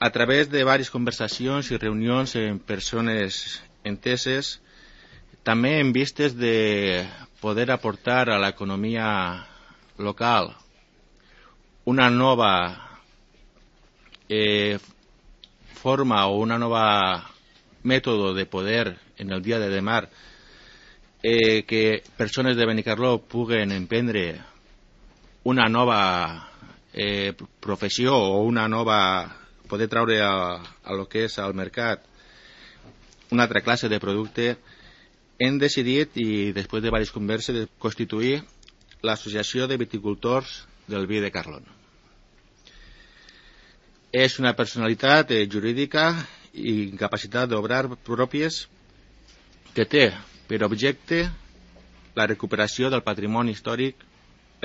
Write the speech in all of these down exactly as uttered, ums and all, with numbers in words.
a través de diverses conversacions i reunions amb persones enteses, també en vistes de poder aportar a l'economia local una nova eh, forma o una nova mètode de poder en el dia de demà, eh, que persones de Benicarló puguen emprendre una nova eh, professió o una nova, poder traure a, a lo que és al mercat una altra classe de producte, hem decidit, i després de diverses converses, de constituir l'Associació de Viticultors del Vi de Carló. És una personalitat eh, jurídica i capacitat d'obrar pròpies que té per objecte la recuperació del patrimoni històric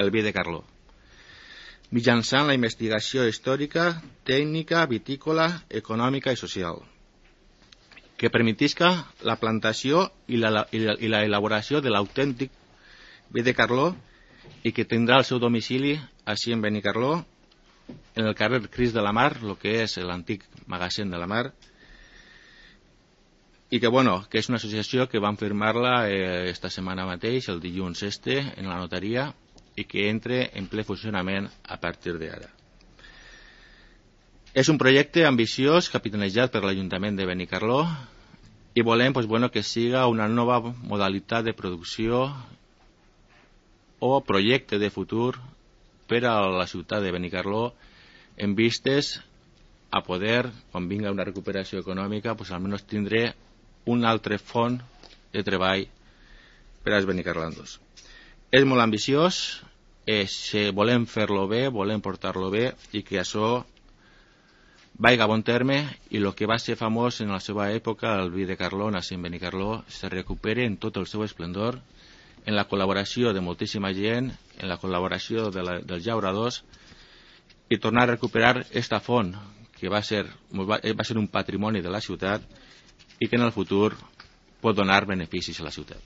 el Vi de Carló, mitjançant la investigació històrica, tècnica, vitícola, econòmica i social, que permetisca la plantació i la, i la, i la elaboració de l'autèntic Vi de Carló i que tindrà el seu domicili així en Benicarló, en el carrer Crist de la Mar, el que és l'antic magatzem de la Mar, i que, bueno, que és una associació que vam firmar-la eh, esta setmana mateix, el dilluns este, en la notaria, i que entre en ple funcionament a partir d'ara. És un projecte ambiciós, capitanejat per l'Ajuntament de Benicarló, i volem pues, bueno, que siga una nova modalitat de producció o projecte de futur per a la ciutat de Benicarló, en vistes a poder, quan vinga una recuperació econòmica, pues, almenys tindré un altre font de treball per als benicarlandos. És molt ambiciós, és, eh, volem fer-lo bé, volem portar-lo bé i que això vagi a bon terme i el que va ser famós en la seva època, el Vi de Carló, nací en Benicarló, se recupere en tot el seu esplendor, en la col·laboració de moltíssima gent, en la col·laboració de la, dels llauradors, i tornar a recuperar esta font que va ser, va, va ser un patrimoni de la ciutat i que en el futur pot donar beneficis a la ciutat.